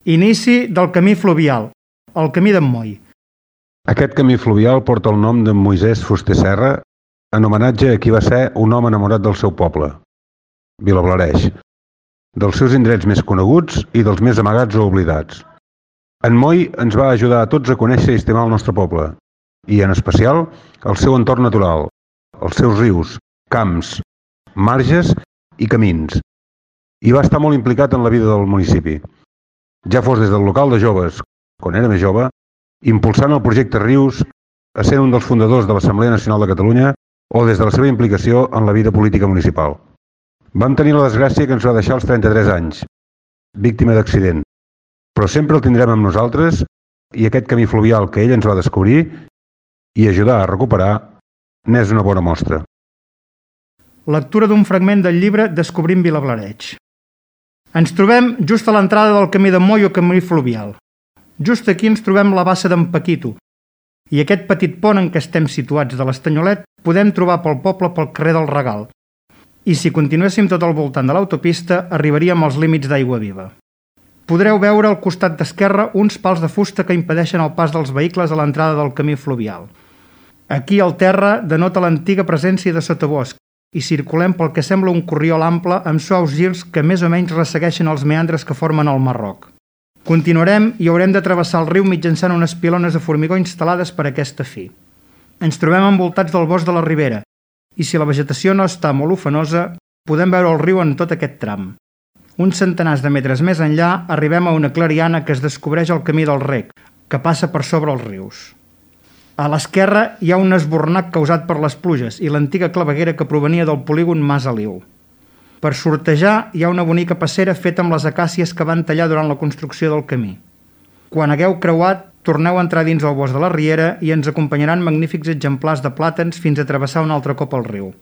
Inici del camí fluvial, el camí d'en Moll. Aquest camí fluvial porta el nom d'en Moisès Fuster Serra, en homenatge a qui va ser un home enamorat del seu poble, Vilablareix, dels seus indrets més coneguts i dels més amagats o oblidats. En Moll ens va ajudar a tots a conèixer i estimar el nostre poble, i en especial el seu entorn natural, els seus rius, camps, marges i camins, i va estar molt implicat en la vida del municipi. Ja fos des del local de joves, quan era més jove, impulsant el projecte Rius, essent un dels fundadors de l'Assemblea Nacional de Catalunya o des de la seva implicació en la vida política municipal. Vam tenir la desgràcia que ens va deixar als 33 anys, víctima d'accident, però sempre el tindrem amb nosaltres i aquest camí fluvial que ell ens va descobrir i ajudar a recuperar n'és una bona mostra. Lectura d'un fragment del llibre Descobrim Vilablareix. Ens trobem just a l'entrada del camí de Moll o camí fluvial. Just aquí ens trobem la bassa d'en Paquito, i aquest petit pont en què estem situats de l'Estanyolet podem trobar pel poble pel carrer del Regal, i si continuéssim tot al voltant de l'autopista arribaríem als límits d'Aigua Viva. Podreu veure al costat d'esquerra uns pals de fusta que impedeixen el pas dels vehicles a l'entrada del camí fluvial. Aquí el terra denota l'antiga presència de sotabosc i circulem pel que sembla un corriol ample amb suaus girs que més o menys ressegueixen els meandres que formen el Marroc. Continuarem i haurem de travessar el riu mitjançant unes pilones de formigó instal·lades per aquesta fi. Ens trobem envoltats del bosc de la Ribera i si la vegetació no està molt ufanosa, podem veure el riu en tot aquest tram. Uns centenars de metres més enllà arribem a una clariana que es descobreix al camí del Rec, que passa per sobre els rius. A l'esquerra hi ha un esbornac causat per les pluges i l'antiga claveguera que provenia del polígon Mas Aliu. Per sortejar hi ha una bonica passera feta amb les acàcies que van tallar durant la construcció del camí. Quan hagueu creuat, torneu a entrar dins el bosc de la Riera i ens acompanyaran magnífics exemplars de plàtans fins a travessar un altre cop el riu.